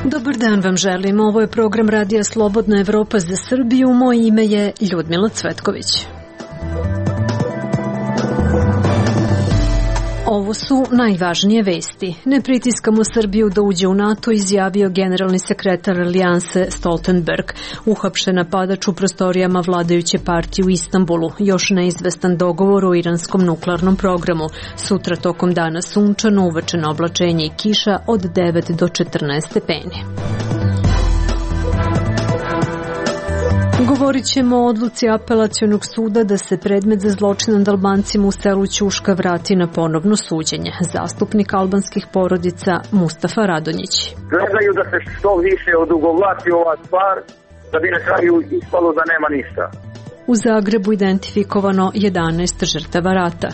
Dobar dan vam želim. Ovo je program Radija Slobodna Evropa za Srbiju. Moje ime je Ljudmila Cvetković. Ovo su najvažnije vesti. Ne pritiskamo Srbiju da uđe u NATO, izjavio generalni sekretar Alijanse Stoltenberg. Uhapšen napadač u prostorijama vladajuće partije u Istanbulu. Još neizvestan dogovor o iranskom nuklearnom programu. Sutra tokom dana sunčano, uveče oblačenje i kiša od 9 do 14 stepeni. Govorit ćemo o odluci apelacionog suda da se predmet za zločin nad Albancima u selu Ćuška vrati na ponovno suđenje. Zastupnik albanskih porodica Mustafa Radonjić. Gledaju da se što više odugovlači ova stvar, da bi na kraju ispalo da nema ništa. U Zagrebu identifikovano 11 žrtava rata.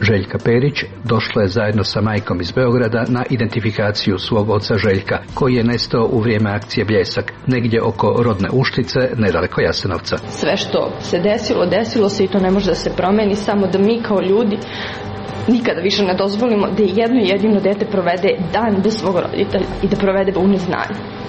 Željka Perić došla je zajedno sa majkom iz Beograda na identifikaciju svog oca Željka, koji je nestao u vrijeme akcije Bljesak, negdje oko Rodne Uštice, nedaleko Jasenovca. Sve što se desilo se i to ne može da se promeni, samo da mi kao ljudi nikada više ne dozvolimo da jedno jedino dete provede dan bez svog roditelja i da provede u neznanju.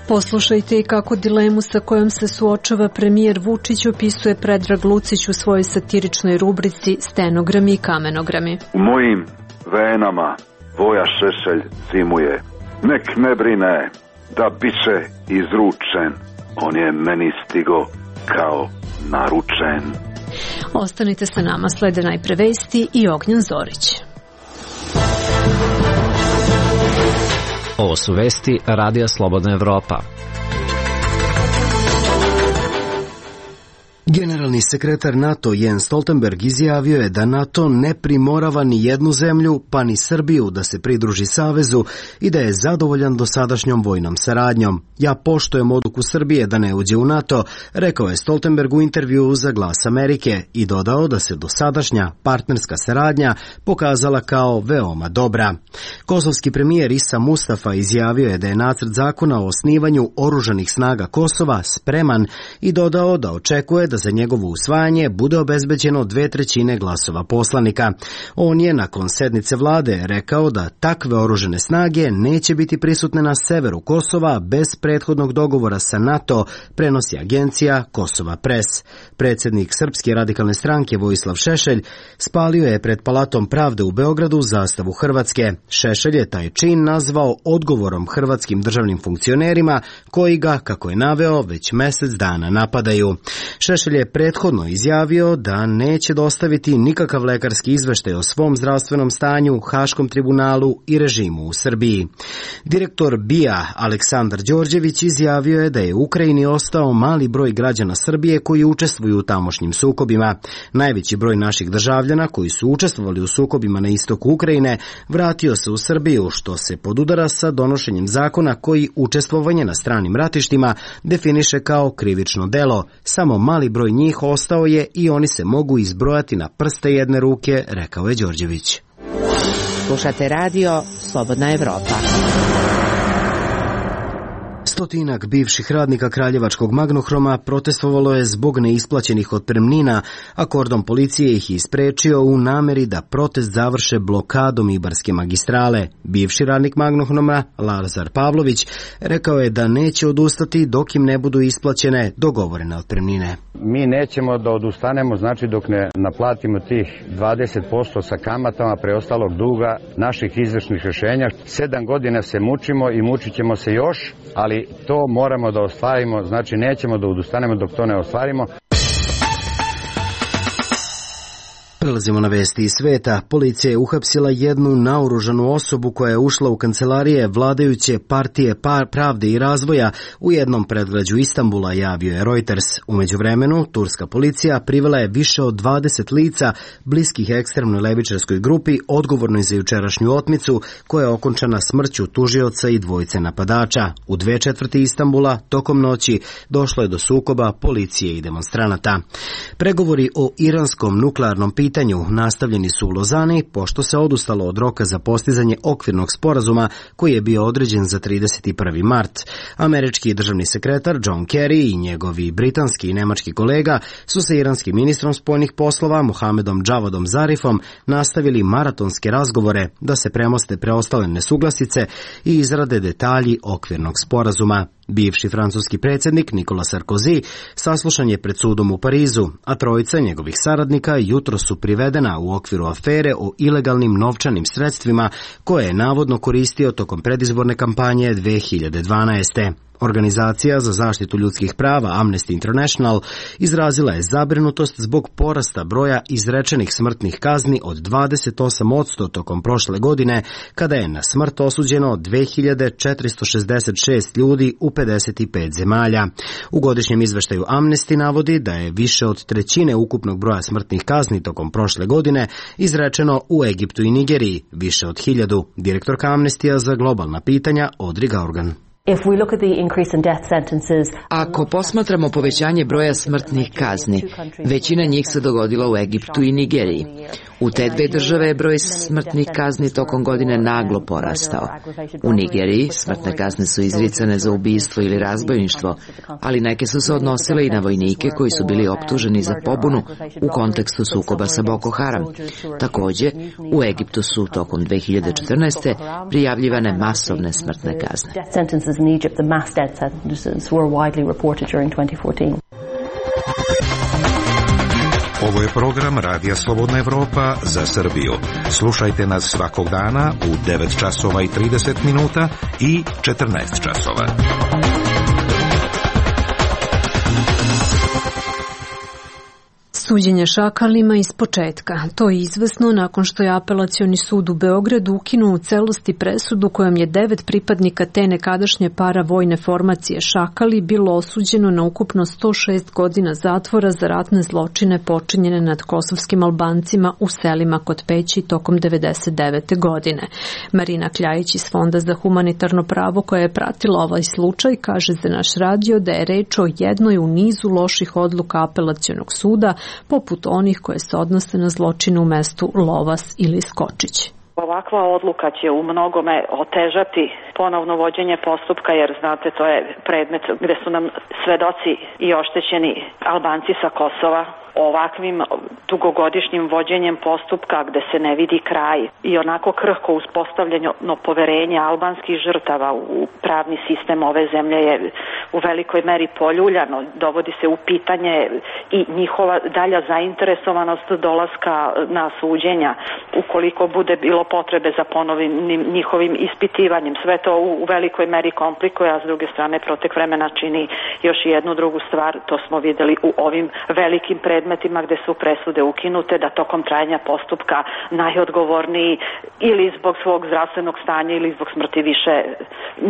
Poslušajte i kako dilemu sa kojom se suočava premijer Vučić opisuje Predrag Lucić u svojoj satiričnoj rubrici Stenogrami i kamenogrami. U mojim venama Voja Šešelj zimuje. Nek ne brine da biće izručen. On je meni stigo kao naručen. Ostanite sa nama, slede najpre vesti i Ognjan Zorić. Ovo su vesti Radija Slobodna Evropa. Generalni sekretar NATO Jens Stoltenberg izjavio je da NATO ne primorava ni jednu zemlju, pa ni Srbiju da se pridruži savezu i da je zadovoljan dosadašnjom vojnom saradnjom. Ja poštujem odluku Srbije da ne uđe u NATO, rekao je Stoltenberg u intervjuu za Glas Amerike i dodao da se dosadašnja partnerska saradnja pokazala kao veoma dobra. Kosovski premijer Isa Mustafa izjavio je da je nacrt zakona o osnivanju oružanih snaga Kosova spreman i dodao da očekuje da za njegovo usvajanje bude obezbeđeno 2/3 glasova poslanika. On je nakon sednice vlade rekao da takve oružane snage neće biti prisutne na severu Kosova bez prethodnog dogovora sa NATO, prenosi agencija Kosova Pres. Predsjednik Srpske radikalne stranke Vojislav Šešelj spalio je pred Palatom pravde u Beogradu zastavu Hrvatske. Šešelj je taj čin nazvao odgovorom hrvatskim državnim funkcionerima koji ga, kako je naveo, već mjesec dana napadaju. Šešelj je prethodno izjavio da neće dostaviti nikakav lekarski izveštaj o svom zdravstvenom stanju, Haškom tribunalu i režimu u Srbiji. Direktor BIA Aleksandar Đorđević izjavio je da je u Ukrajini ostao mali broj građana Srbije koji učestvuju u tamošnjim sukobima. Najveći broj naših državljana koji su učestvovali u sukobima na istoku Ukrajine vratio se u Srbiju, što se podudara sa donošenjem zakona koji učestvovanje na stranim ratištima definiše kao krivično delo. Samo mali broj njih ostao je i oni se mogu izbrojati na prste jedne ruke, rekao je Đorđević. Slušate radio Slobodna Evropa. Stotinak bivših radnika Kraljevačkog Magnohroma protestovalo je zbog neisplaćenih otpremnina, a kordon policije ih je isprečio u nameri da protest završe blokadom Ibarske magistrale. Bivši radnik Magnohroma, Lazar Pavlović, rekao je da neće odustati dok im ne budu isplaćene dogovorene otpremnine. Mi nećemo da odustanemo, znači dok ne naplatimo tih 20% sa kamatama preostalog duga naših izvršnih rješenja. 7 godina se mučimo i mučit ćemo se još, ali to moramo da ostvarimo, znači nećemo da odustanemo dok to ne ostvarimo. Prelazimo na vesti iz sveta. Policija je uhapsila jednu naoružanu osobu koja je ušla u kancelarije vladajuće partije Pravde i razvoja u jednom predgrađu Istanbula, javio je Reuters. U međuvremenu, turska policija privela je više od 20 lica bliskih ekstremnoj levičarskoj grupi odgovornoj za jučerašnju otmicu koja je okončana smrću tužioca i dvojice napadača. U 2/4 Istanbula tokom noći došlo je do sukoba policije i demonstranata. Pregovori o iranskom nuklearnom pitanju pitanju nastavljeni su u Lozani, pošto se odustalo od roka za postizanje okvirnog sporazuma koji je bio određen za 31. mart. Američki državni sekretar John Kerry i njegovi britanski i nemački kolega su sa iranskim ministrom spoljnih poslova Mohamedom Javadom Zarifom nastavili maratonske razgovore da se premoste preostale nesuglasice i izrade detalji okvirnog sporazuma. Bivši francuski predsjednik Nicolas Sarkozy saslušan je pred sudom u Parizu, a trojica njegovih saradnika jutros su privedena u okviru afere o ilegalnim novčanim sredstvima koje je navodno koristio tokom predizborne kampanje 2012. Organizacija za zaštitu ljudskih prava Amnesty International izrazila je zabrinutost zbog porasta broja izrečenih smrtnih kazni od 28% tokom prošle godine, kada je na smrt osuđeno 2466 ljudi u 55 zemalja. U godišnjem izveštaju Amnesty navodi da je više od trećine ukupnog broja smrtnih kazni tokom prošle godine izrečeno u Egiptu i Nigeriji, više od 1000. Direktorka Amnestija za globalna pitanja Audrey Gaurgan. Ako posmatramo povećanje broja smrtnih kazni, većina njih se dogodila u Egiptu i Nigeriji. U te dve države je broj smrtnih kazni tokom godine naglo porastao. U Nigeriji smrtne kazne su izricane za ubistvo ili razbojništvo, ali neke su se odnosile i na vojnike koji su bili optuženi za pobunu u kontekstu sukoba sa Boko Haram. Takođe, u Egiptu su tokom 2014. prijavljivane masovne smrtne kazne. In Egypt, the mass death sentences were widely reported during 2014. Ovo je program Radija Slobodna Evropa za Srbiju. Slušajte nas svakog dana u 9 časova i 30 minuta i 14 časova. Suđenje šakalima iz početka. To je izvesno nakon što je Apelacioni sud u Beogradu ukinuo u celosti presudu kojom je 9 pripadnika te nekadašnje paravojne formacije šakali bilo osuđeno na ukupno 106 godina zatvora za ratne zločine počinjene nad kosovskim Albancima u selima kod Peći tokom 1999. godine. Marina Kljajić iz Fonda za humanitarno pravo koja je pratila ovaj slučaj kaže za naš radio da je reč o jednoj u nizu loših odluka Apelacionog suda, poput onih koje se odnose na zločine u mestu Lovas ili Skočić. Ovakva odluka će u mnogome otežati ponovno vođenje postupka, jer znate, to je predmet gde su nam svedoci i oštećeni Albanci sa Kosova. Ovakvim dugogodišnjim vođenjem postupka gde se ne vidi kraj i onako krhko uspostavljeno poverenje albanskih žrtava u pravni sistem ove zemlje je u velikoj meri poljuljano. Dovodi se u pitanje i njihova dalja zainteresovanost dolaska na suđenja ukoliko bude bilo potrebe za ponovnim njihovim ispitivanjem. Sve to u velikoj meri komplikuje, a s druge strane protek vremena čini još jednu drugu stvar. To smo videli u ovim velikim predmetima gde su presude ukinute, da tokom trajanja postupka najodgovorniji ili zbog svog zdravstvenog stanja ili zbog smrti više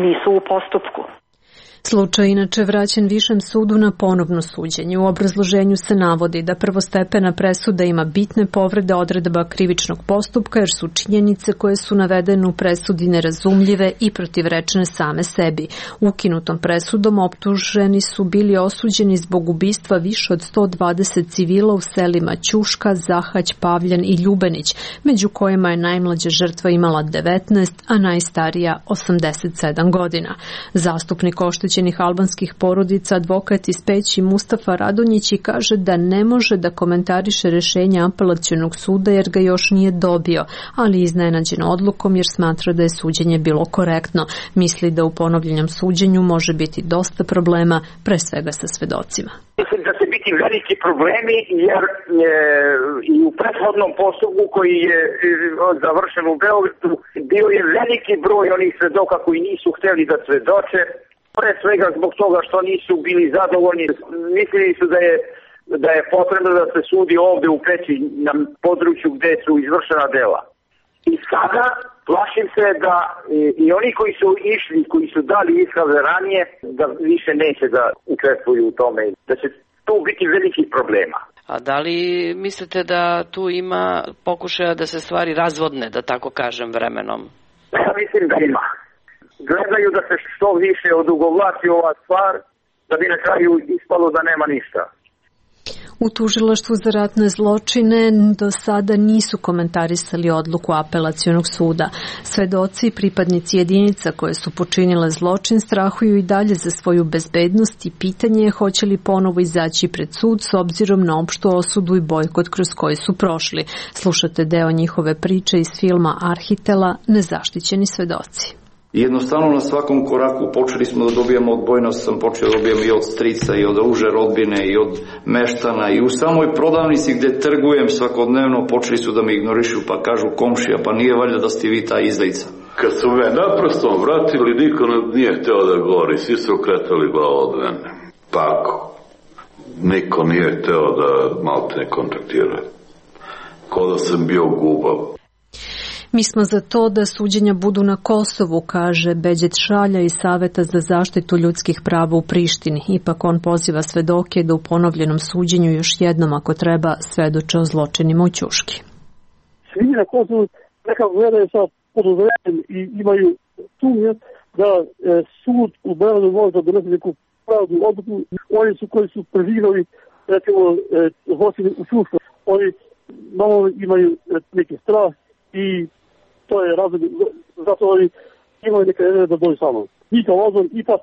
nisu u postupku. Slučaj inače vraćen Višem sudu na ponovno suđenje. U obrazloženju se navodi da prvostepena presuda ima bitne povrede odredaba krivičnog postupka jer su činjenice koje su navedene u presudi nerazumljive i protivrečne same sebi. Ukinutom presudom optuženi su bili osuđeni zbog ubistva više od 120 civila u selima Ćuška, Zahać, Pavljan i Ljubenić, među kojima je najmlađa žrtva imala 19, a najstarija 87 godina. Zastupnik oštećenih albanskih porodica, advokat iz Peći Mustafa Radonjić kaže da ne može da komentariše rešenje Apelacionog suda jer ga još nije dobio, ali iznenađen odlukom jer smatra da je suđenje bilo korektno. Misli da u ponovljenom suđenju može biti dosta problema, pre svega sa svedocima. Mislim da će biti veliki problemi jer i u prethodnom postupku koji je završen u Beogradu bio je veliki broj onih svedoka koji nisu hteli da svedoče, pre svega zbog toga što nisu bili zadovoljni. Mislili su da je potrebno da se sudi ovde u Peći na području gde su izvršena dela. I sada plašim se da i oni koji su išli, koji su dali iskaze ranije, da više neće da učestvuju u tome, da će tu biti velikih problema. A da li mislite da tu ima pokušaja da se stvari razvodne, da tako kažem, vremenom? Ja mislim da ima. Gledaju da se što više odugovlači ova stvar, da bi na kraju ispalo da nema ništa. U tužilaštvu za ratne zločine do sada nisu komentarisali odluku apelacionog suda. Svedoci i pripadnici jedinica koje su počinile zločin strahuju i dalje za svoju bezbednost i pitanje je hoće li ponovo izaći pred sud s obzirom na opštu osudu i bojkot kroz koji su prošli. Slušate deo njihove priče iz filma Arhitela Nezaštićeni svedoci. Jednostavno na svakom koraku počeli smo da dobijamo odbojnost, sam počeo da dobijam i od strica i od uže rodbine i od meštana i u samoj prodavnici gde trgujem svakodnevno počeli su da me ignorišu pa kažu komšija pa nije valjda da ste vi ta izdajica. Kad su me naprosto vratili niko nije hteo da govori, svi su okretali glavu od mene. Tako, niko nije hteo da malte ne kontaktira. Ko da sam bio gubav. Mi smo za to da suđenja budu na Kosovu, kaže Beđet Šalja iz Saveta za zaštitu ljudskih prava u Prištini. Ipak on poziva svedoke da u ponovljenom suđenju još jednom, ako treba, svedoče o zločinima u Ćuški. Svi na Kosovu nekako gledaju sa podozorenjem i imaju sumnje da sud u Beogradu može da donese neku pravdu odluku. Oni su koji su preživali, recimo, zločine u Ćušku. Oni malo imaju neki strah i to je razlog, zato oni imaju neka ideja da dođu sa mnom. Mi kao odbor ipak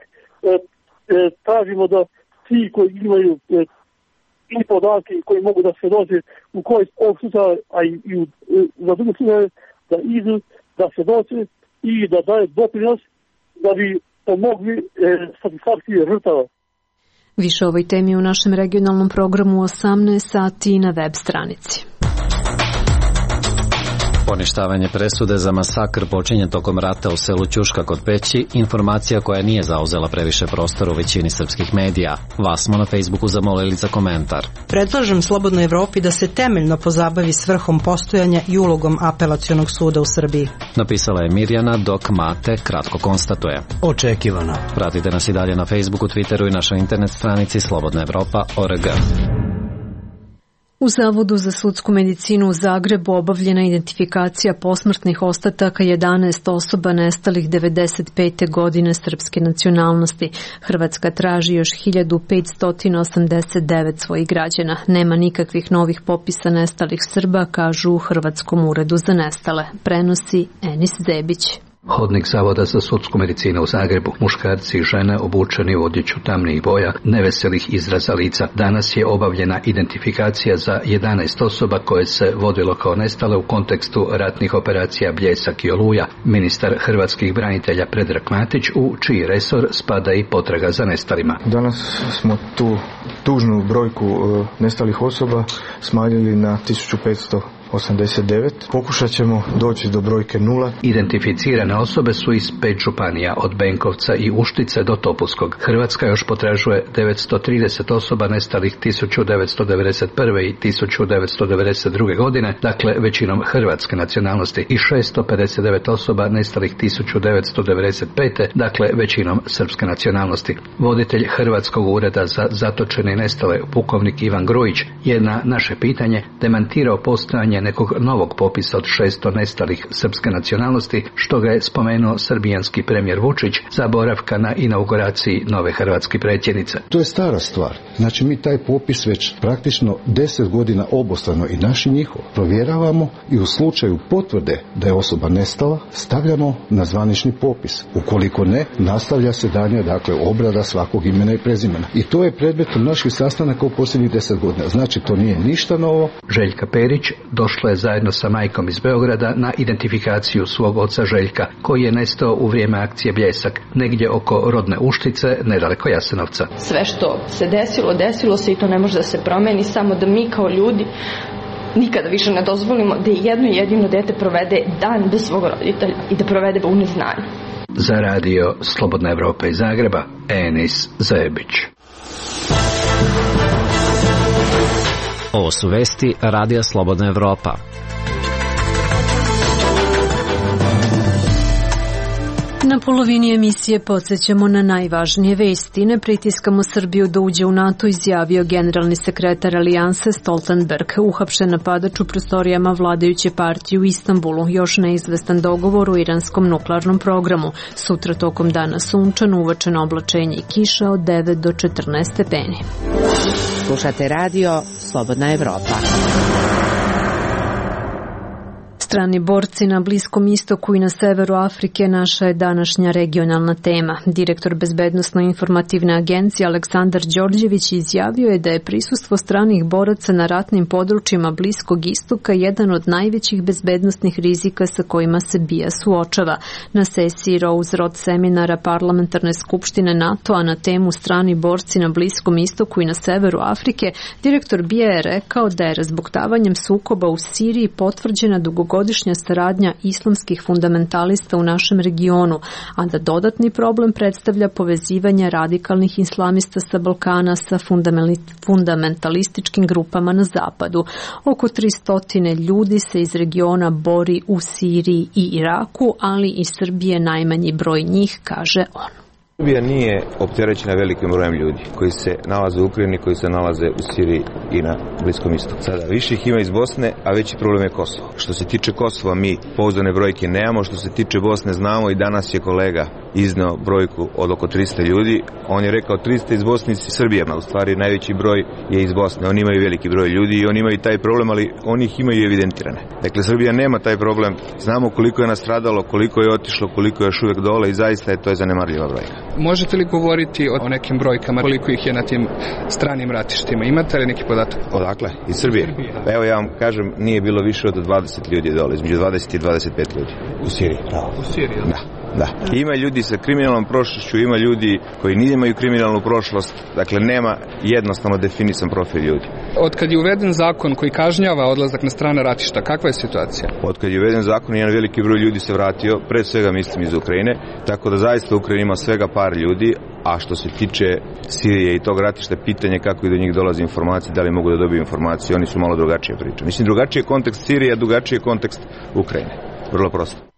tražimo da svi koji imaju i podatke koji mogu da se dođe u korist ovog suda, a i za druge sude da idu, da se dođe i da daje doprinos da bi pomogli satisfakciji žrtava. Više o ovoj temi u našem regionalnom programu 18 sati na web stranici. Poništavanje presude za masakr počinje tokom rata u selu Ćuška kod Peći, informacija koja nije zauzela previše prostora u većini srpskih medija. Vas smo na Facebooku zamolili za komentar. Predlažem Slobodnoj Evropi da se temeljno pozabavi svrhom postojanja i ulogom apelacionog suda u Srbiji. Napisala je Mirjana, dok Mate kratko konstatuje. Očekivano. Pratite nas i dalje na Facebooku, Twitteru i našoj internet stranici slobodnaevropa.org. U Zavodu za sudsku medicinu u Zagrebu obavljena identifikacija posmrtnih ostataka 11 osoba nestalih 95. godine srpske nacionalnosti. Hrvatska traži još 1589 svojih građana. Nema nikakvih novih popisa nestalih Srba, kažu u Hrvatskom uredu za nestale. Prenosi Enis Zebić. Hodnik Zavoda za sudsku medicinu u Zagrebu, muškarci i žene obučeni u odjeću tamnih boja, neveselih izraza lica. Danas je obavljena identifikacija za 11 osoba koje se vodilo kao nestale u kontekstu ratnih operacija Bljesak i Oluja. Ministar hrvatskih branitelja Predrag Matić, u čiji resor spada i potraga za nestalima. Danas smo tu tužnu brojku nestalih osoba smanjili na 1589. Pokušat ćemo doći do brojke 0. Identificirane osobe su iz 5 županija, od Benkovca i Uštice do Topuskog. Hrvatska još potražuje 930 osoba nestalih 1991. i 1992. godine, dakle većinom hrvatske nacionalnosti, i 659 osoba nestalih 1995. dakle većinom srpske nacionalnosti. Voditelj Hrvatskog ureda za zatočene i nestale, pukovnik Ivan Grujić, je na naše pitanje demantirao postojanje nekog novog popisa od 600 nestalih srpske nacionalnosti, što ga je spomenuo srbijanski premijer Vučić za boravka na inauguraciji nove hrvatske predsjednice. To je stara stvar. Znači mi taj popis već praktično 10 godina obostrano i naš i njihov provjeravamo i u slučaju potvrde da je osoba nestala stavljamo na zvanični popis. Ukoliko ne, nastavlja se dalje, dakle, obrada svakog imena i prezimena. I to je predmetom naših sastanaka u posljednjih 10 godina. Znači to nije ništa novo. Željka Perić došla je zajedno sa majkom iz Beograda na identifikaciju svog oca Željka, koji je nestao u vrijeme akcije Bljesak, negdje oko rodne Uštice, nedaleko Jasenovca. Sve što se desilo se i to ne može da se promeni, samo da mi kao ljudi nikada više ne dozvolimo da jedno jedino dete provede dan bez svog roditelja i da provede u neznanju. Za radio Slobodna Evropa iz Zagreba, Enis Zebić. Ovo su vesti Radija Slobodna Evropa. Na polovini emisije podsjećamo na najvažnije vesti. Ne pritiskamo Srbiju da uđe u NATO, izjavio generalni sekretar Alijanse Stoltenberg. Uhapšen napadač u prostorijama vladajuće partije u Istanbulu. Još neizvestan dogovor u iranskom nuklearnom programu. Sutra tokom dana sunčano, uvečno oblačenje i kiša od 9 do 14 stepeni. Slušate radio Slobodna Evropa. Strani borci na Bliskom istoku i na severu Afrike naša je današnja regionalna tema. Direktor Bezbednosno-informativne agencije Aleksandar Đorđević izjavio je da je prisustvo stranih boraca na ratnim područjima Bliskog istoka jedan od najvećih bezbednosnih rizika sa kojima se BIA suočava. Na sesiji Rose Road seminara Parlamentarne skupštine NATO-a na temu strani borci na Bliskom istoku i na severu Afrike, direktor BIA je rekao da je razbuktavanjem sukoba u Siriji potvrđena dugogodišnja saradnja islamskih fundamentalista u našem regionu, a da dodatni problem predstavlja povezivanje radikalnih islamista sa Balkana sa fundamentalističkim grupama na zapadu. Oko 300 ljudi se iz regiona bori u Siriji i Iraku, ali i Srbije najmanji broj njih, kaže on. Srbija nije opterećena velikim brojem ljudi koji se nalaze u Ukrajini, koji se nalaze u Siriji i na Bliskom istoku. Sada više ih ima iz Bosne, a veći problem je Kosovo. Što se tiče Kosova, mi pouzdane brojke nemamo, što se tiče Bosne znamo i danas je kolega izneo brojku od oko 300 ljudi. On je rekao 300 iz Bosne i Srbije, a u stvari najveći broj je iz Bosne. Oni imaju veliki broj ljudi i oni imaju taj problem, ali oni ih imaju evidentirane. Dakle, Srbija nema taj problem. Znamo koliko je nastradalo, koliko je otišlo, koliko je još uvek dole i zaista je to zanemarljiva brojka. Možete li govoriti o nekim brojkama, koliko ih je na tim stranim ratištima? Imate li neki podatak? Odakle? Iz Srbije? Pa evo ja vam kažem, nije bilo više od 20 ljudi dole, između 20 i 25 ljudi. U Siriji, pravo. U Siriji, Da. Ima ljudi sa kriminalnom prošlošću, ima ljudi koji nemaju kriminalnu prošlost, dakle nema jednostavno definisan profil ljudi. Od kad je uveden zakon koji kažnjava odlazak na strana ratišta, kakva je situacija? Od kad je uveden zakon, jedan veliki broj ljudi se vratio, pre svega mislim iz Ukrajine, tako da zaista Ukrajina ima svega par ljudi, a što se tiče Sirije i tog ratišta, pitanje kako i do njih dolazi informacije, da li mogu da dobiju informacije, oni su malo drugačije priče. Mislim, drugačiji je kontekst Sirije, a drugačiji je kontekst Ukrajine. Vrlo prosto.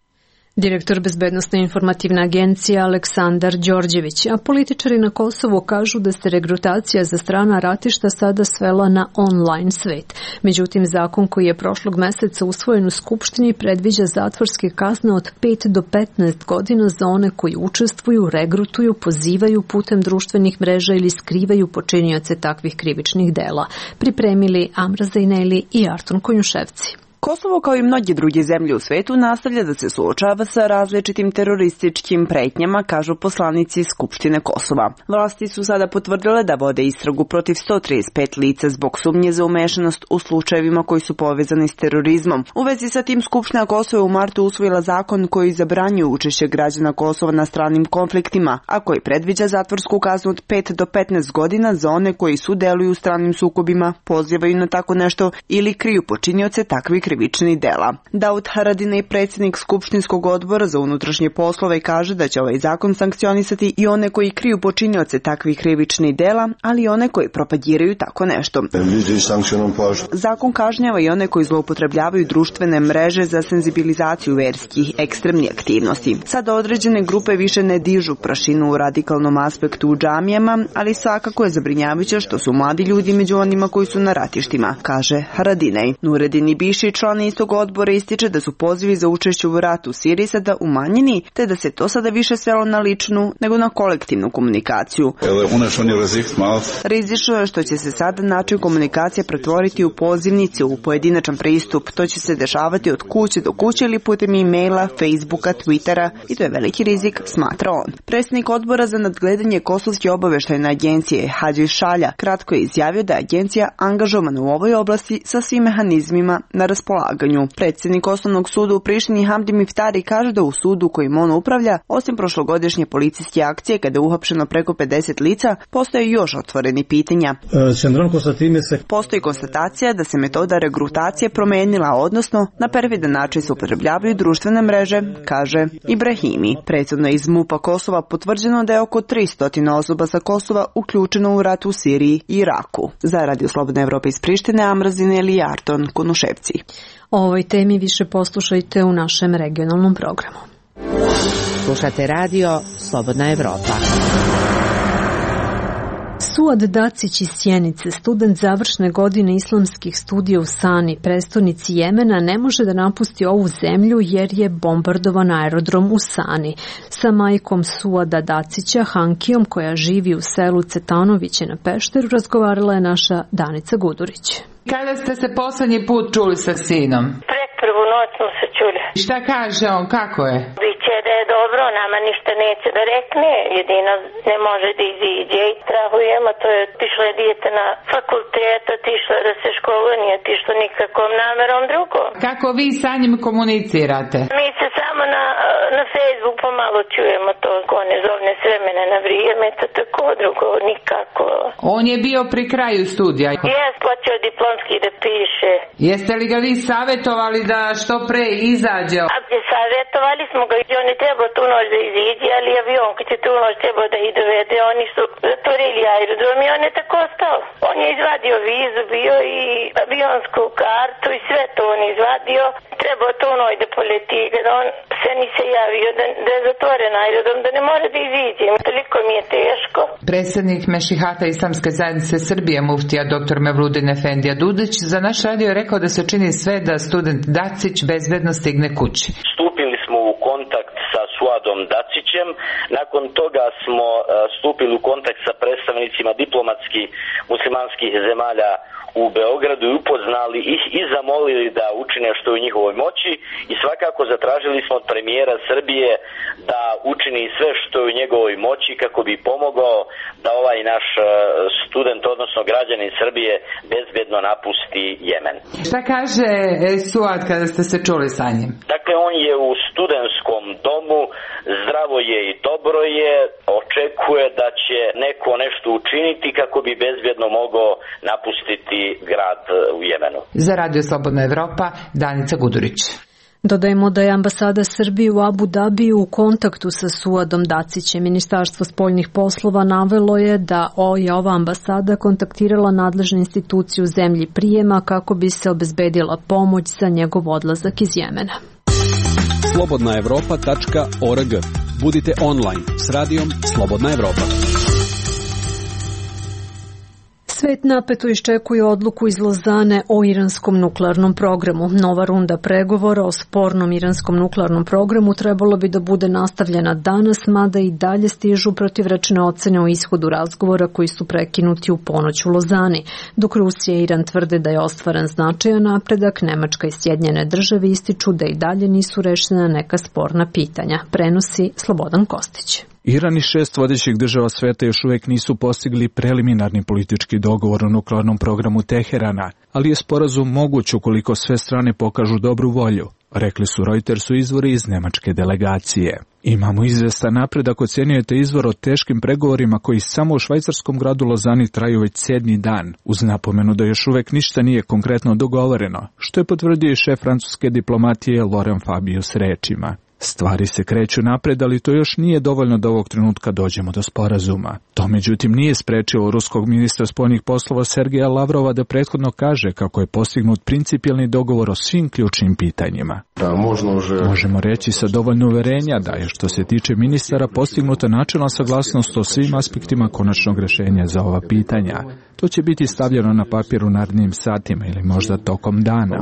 Direktor Bezbednosno-informativne agencije Aleksandar Đorđević, a političari na Kosovu kažu da se regrutacija za strana ratišta sada svela na online svet. Međutim, zakon koji je prošlog meseca usvojen u Skupštini predviđa zatvorske kazne od 5 do 15 godina za one koji učestvuju, regrutuju, pozivaju putem društvenih mreža ili skrivaju počinioce takvih krivičnih dela. Pripremili Amra Zajneli i Arton Konjuševci. Kosovo, kao i mnoge druge zemlje u svetu, nastavlja da se suočava sa različitim terorističkim pretnjama, kažu poslanici Skupštine Kosova. Vlasti su sada potvrdile da vode istragu protiv 135 lica zbog sumnje za umešanost u slučajevima koji su povezani s terorizmom. U vezi sa tim Skupština Kosova u martu usvojila zakon koji zabranjuje učešće građana Kosova na stranim konfliktima, a koji predviđa zatvorsku kaznu od 5 do 15 godina za one koji sudeluju u stranim sukobima, pozivaju na tako nešto ili kriju počinioce takvih krivičnih dela. Daud Haradinaj, predsjednik Skupštinskog odbora za unutrašnje poslove, kaže da će ovaj zakon sankcionisati i one koji kriju počinioce takvih krivičnih dela, ali i one koji propagiraju tako nešto. Zakon kažnjava i one koji zloupotrebljavaju društvene mreže za senzibilizaciju verskih ekstremnih aktivnosti. Sada određene grupe više ne dižu prašinu u radikalnom aspektu u džamijama, ali svakako je zabrinjavajuće što su mladi ljudi među onima koji su na ratištima, kaže Haradinaj. Nuredin Ibiši, član istog odbora, ističe da su pozivi za učešće u ratu u Siriji sada umanjeni, te da se to sada više svelo na ličnu nego na kolektivnu komunikaciju. Rizično je što će se sada način komunikacije pretvoriti u pozivnicu, u pojedinačan pristup. To će se dešavati od kuće do kuće ili putem e-maila, Facebooka, Twittera i to je veliki rizik, smatra on. Predsjednik odbora za nadgledanje Kosovske obaveštajne agencije Hadži Šalja kratko je izjavio da je agencija angažovana u ovoj oblasti sa svim mehanizmima na raspolaganju. Predsjednik Osnovnog suda u Prištini Hamdi Miftari kaže da u sudu kojim on upravlja, osim prošlogodišnje policijske akcije kada je uhapšeno preko 50 lica, postoje još otvoreni pitanja. Postoji konstatacija da se metoda regrutacije promenila, odnosno na perfidan način se upotrebljavaju društvene mreže, kaže Ibrahimi. Prethodno iz MUP-a Kosova potvrđeno da je oko 300 osoba sa Kosova uključeno u rat u Siriji i Iraku. Za Radio Slobodna Evropa iz Prištine, Amra Zajneli i Arton Konjuševci. O ovoj temi više poslušajte u našem regionalnom programu. Slušate radio Slobodna Evropa. Suad Dacić iz Sjenice, student završne godine islamskih studija u Sani, prestonici Jemena, ne može da napusti ovu zemlju jer je bombardovan aerodrom u Sani. Sa majkom Suada Dacića, Hankijom, koja živi u selu Cetanoviće na Pešteru, razgovarala je naša Danica Gudurić. Kada ste se poslednji put čuli sa sinom? Prvu noć smo se čuli. Šta kaže on, kako je? Biće da je dobro, nama ništa neće da rekne, jedino ne može da iziđe i strahujemo, to je otišlo je dijete na fakultet, otišlo da se školuje, nije otišlo nikakvom namerom drugom. Kako vi sa njim komunicirate? Mi se samo na Facebook pomalo čujemo to, ko ne zovne s vremena na vrijeme, to tako drugo, nikako. On je bio pri kraju studija? Jes, počeo diplomski da piše. Jeste li ga vi savjetovali da što pre izađe? Savjetovali smo ga, on je trebao tu noć da iziđe, ali avion kad je tu noć trebao da ih dovede, oni su zatvorili aerodrom i on je tako ostao. On je izvadio vizu, bio i avionsku kartu i sve to on izvadio. Trebao tu noć da poleti, kada on se ni se javio da je zatvoren aerodrom, da ne mora da iziđe. Toliko mi je teško. Predsjednik Mešihata Islamske zajednice Srbije, muftija dr. Mevludin Efendija Dudić, za naš radio je rekao da se čini sve da student Dacić bezbedno stigne kući. Stupili smo u kontakt sa Suadom Dacićem, nakon toga smo stupili u kontakt sa predstavnicima diplomatskih muslimanskih zemalja u Beogradu i upoznali ih i zamolili da učine što je u njihovoj moći i svakako zatražili smo od premijera Srbije da učini sve što je u njegovoj moći kako bi pomogao da ovaj naš student, odnosno građanin Srbije, bezbedno napusti Jemen. Šta kaže Suad kada ste se čuli sa njim? Dakle, on je u studentskom domu, zdravo je i dobro je, očekuje da će neko nešto učiniti kako bi bezbedno mogao napustiti grad u Jemenu. Za Radio Slobodna Evropa, Danica Gudurić. Dodajemo da je ambasada Srbije u Abu Dabiju u kontaktu sa Suadom Dacićem. Ministarstvo spoljnih poslova navelo je da je ova ambasada kontaktirala nadležne institucije u zemlji prijema kako bi se obezbedila pomoć za njegov odlazak iz Jemena. slobodnaevropa.org. Budite online s radijom Slobodna Evropa. Svet napeto iščekuje odluku iz Lozane o iranskom nuklearnom programu. Nova runda pregovora o spornom iranskom nuklearnom programu trebalo bi da bude nastavljena danas, mada i dalje stižu protivrečne ocene o ishodu razgovora koji su prekinuti u ponoć u Lozani. Dok Rusija i Iran tvrde da je ostvaren značajan napredak, Nemačka i Sjedinjene države ističu da i dalje nisu rešena neka sporna pitanja. Prenosi Slobodan Kostić. Iran i 6 vodećih država sveta još uvijek nisu postigli preliminarni politički dogovor o nuklearnom programu Teherana, ali je sporazum moguć ukoliko sve strane pokažu dobru volju, rekli su Reutersu izvori iz nemačke delegacije. Imamo izvestan napredak, ocjenjujete izvor o teškim pregovorima koji samo u švajcarskom gradu Lozani traju već 7. dan, uz napomenu da još uvijek ništa nije konkretno dogovoreno, što je potvrdio i šef francuske diplomatije Laurent Fabius rečima. Stvari se kreću napred, ali to još nije dovoljno da ovog trenutka dođemo do sporazuma. To međutim nije sprečilo ruskog ministra spoljnih poslova Sergeja Lavrova da prethodno kaže kako je postignut principijelni dogovor o svim ključnim pitanjima. Možemo reći sa dovoljno uverenja da je što se tiče ministara postignuta načelna saglasnost o svim aspektima konačnog rješenja za ova pitanja. To će biti stavljeno na papir u narednim satima ili možda tokom dana.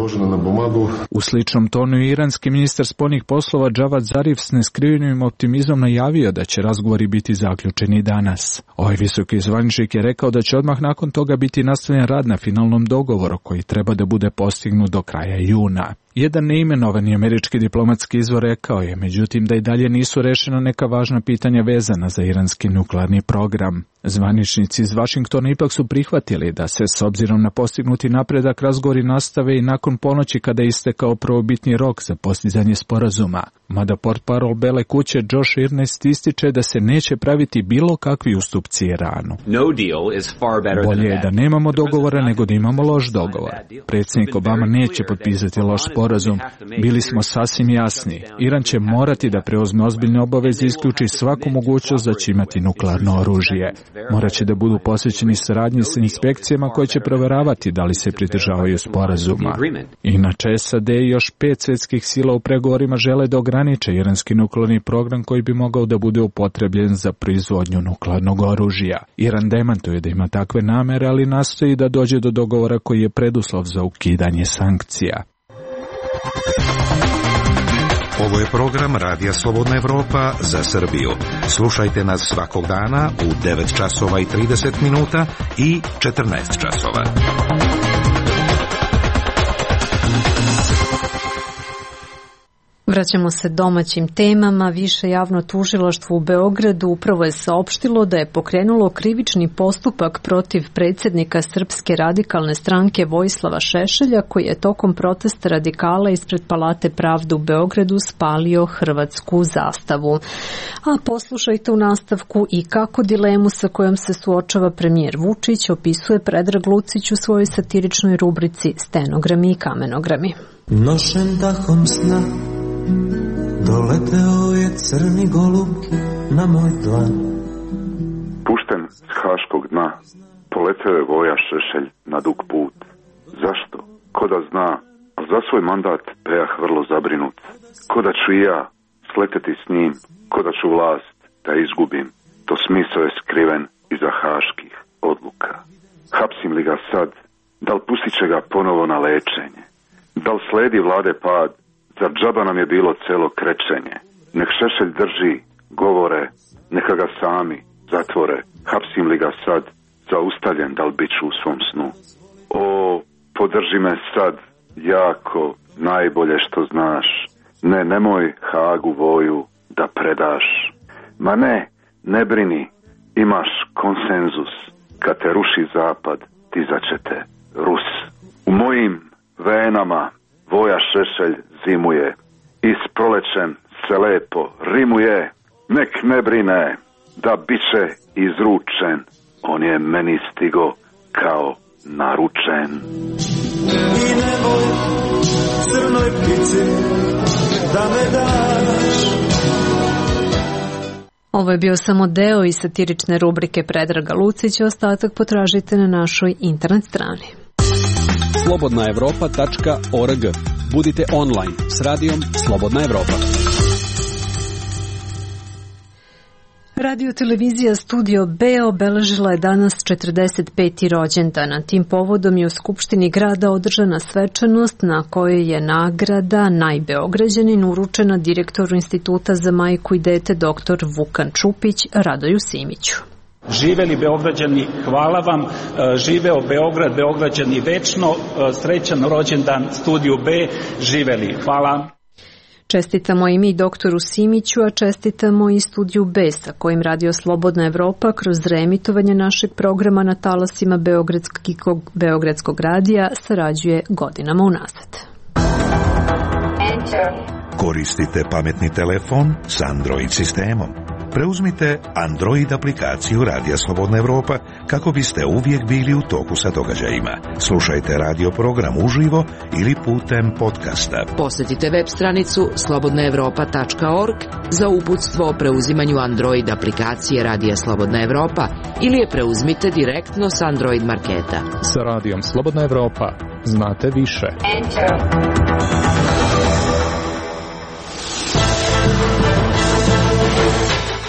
U sličnom tonu je iranski ministar spoljnih poslova Javad Zarif s neskrivenim optimizmom najavio da će razgovori biti zaključeni danas. Ovaj visoki zvaničnik je rekao da će odmah nakon toga biti nastavljen rad na finalnom dogovoru koji treba da bude postignut do kraja juna. Jedan neimenovani američki diplomatski izvor rekao je, međutim, da i dalje nisu rešena neka važna pitanja vezana za iranski nuklearni program. Zvaničnici iz Vašingtona ipak su prihvatili da se s obzirom na postignuti napredak razgovori nastave i nakon ponoći kada je istekao prvobitni rok za postizanje sporazuma. Mada portparol Bele kuće Josh Earnest ističe da se neće praviti bilo kakvi ustupci Iranu. Bolje je da nemamo dogovora nego da imamo loš dogovor. Predsjednik Obama neće potpisati loš sporazum sporazum, bili smo sasvim jasni. Iran će morati da preuzme ozbiljne obaveze i isključi svaku mogućnost da će imati nuklearno oružje. Moraće da budu posvećeni saradnji sa inspekcijama koje će proveravati da li se pridržavaju sporazuma. Inače, SAD i još 5 svjetskih sila u pregovorima žele da ograniče iranski nuklearni program koji bi mogao da bude upotrebljen za proizvodnju nuklearnog oružja. Iran demantuje da ima takve namere, ali nastoji da dođe do dogovora koji je preduslov za ukidanje sankcija. Ovo je program Radija Slobodna Evropa za Srbiju. Slušajte nas svakog dana u 9 časova i 30 minuta i 14 časova. Vraćamo se domaćim temama. Više javno tužilaštvo u Beogradu upravo je saopštilo da je pokrenulo krivični postupak protiv predsjednika Srpske radikalne stranke Vojislava Šešelja, koji je tokom protesta radikala ispred Palate pravde u Beogradu spalio hrvatsku zastavu. A poslušajte u nastavku i kako dilemu sa kojom se suočava premijer Vučić opisuje Predrag Lucić u svojoj satiričnoj rubrici Stenogrami i kamenogrami. Nošen dahom sna doleteo je crni golub na moj dlan. Pušten s haškog dna, poleteo je Voja Šešelj na dug put. Zašto? Ko da zna, a za svoj mandat bejah vrlo zabrinut. Ko da ću i ja sleteti s njim, ko da ću vlast da izgubim. To smisao je skriven iza haških odluka. Hapsim li ga sad, da li pustit će ga ponovo na lečenje? Da li sledi vlade pad? Zar džaba nam je bilo celo krečenje? Nek Šešelj drži govore, neka ga sami zatvore. Hapsim li ga sad, zaustavljen da li bit ću u svom snu? O, podrži me sad, jako, najbolje što znaš. Ne, nemoj Hagu Voju da predaš. Ma ne brini, imaš konsenzus. Kad te ruši zapad, tizaće te Rus. U mojim venama Voja Šešelj zimuje i s prolećem se lepo rimuje. Nek ne brine da biće izručen, on je meni stigo kao naručen. I nemoj crnoj ptici da me daš. Ovo je bio samo deo iz satirične rubrike Predraga Lucića, ostatak potražite na našoj internet strani. slobodnaevropa.org. Budite online s radijom Slobodna Evropa. Radio-televizija Studio B obeležila je danas 45. rođendan. Tim povodom je u Skupštini grada održana svečanost na kojoj je nagrada Najbeograđanin uručena direktoru Instituta za majku i dete dr. Vukan Čupić Radoju Simiću. Živeli Beograđani, hvala vam, živeo Beograd, Beograđani večno, srećan rođendan Studiju B, živeli, hvala. Čestitamo i mi doktoru Simiću, a čestitamo i Studiju B, sa kojim Radio Slobodna Evropa kroz reemitovanje našeg programa na talasima Beogradskog radija sarađuje godinama unazad. Koristite pametni telefon s Android sistemom. Preuzmite Android aplikaciju Radija Slobodna Evropa kako biste uvijek bili u toku sa događajima. Slušajte radio program uživo ili putem podcasta. Posjetite web stranicu slobodnaevropa.org za uputstvo o preuzimanju Android aplikacije Radija Slobodna Evropa ili je preuzmite direktno s Android marketa. Sa Radijom Slobodna Evropa znate više.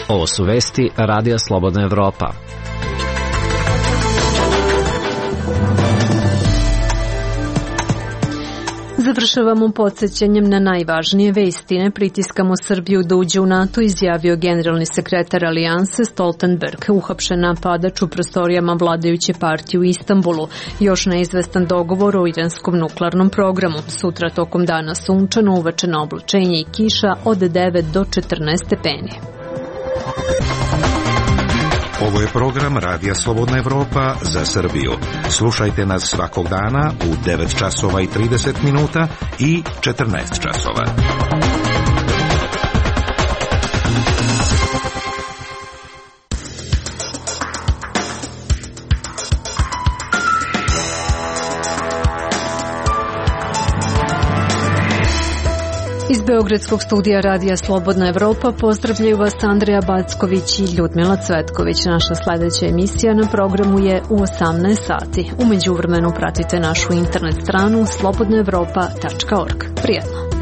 Ovo su vesti Radija Slobodna Evropa. Završavamo podsjećanjem na najvažnije vesti. Ne pritiskamo Srbiju da uđe u NATO, izjavio generalni sekretar Alijanse Stoltenberg, uhapšen napadač u prostorijama vladajuće partije u Istanbulu. Još neizvestan dogovor o iranskom nuklearnom programu. Sutra tokom dana sunčano, uveče na oblačenje i kiša od 9 do 14 stepeni. Ovo je program Radija Slobodna Evropa za Srbiju. Slušajte nas svakog dana u 9 časova i 30 minuta i 14 časova. Beogradskog studija Radija Slobodna Evropa pozdravljaju vas Andreja Backović i Ljudmila Cvetković. Naša sledeća emisija na programu je u 18 sati. U međuvremenu pratite našu internet stranu slobodnaevropa.org. Prijetno!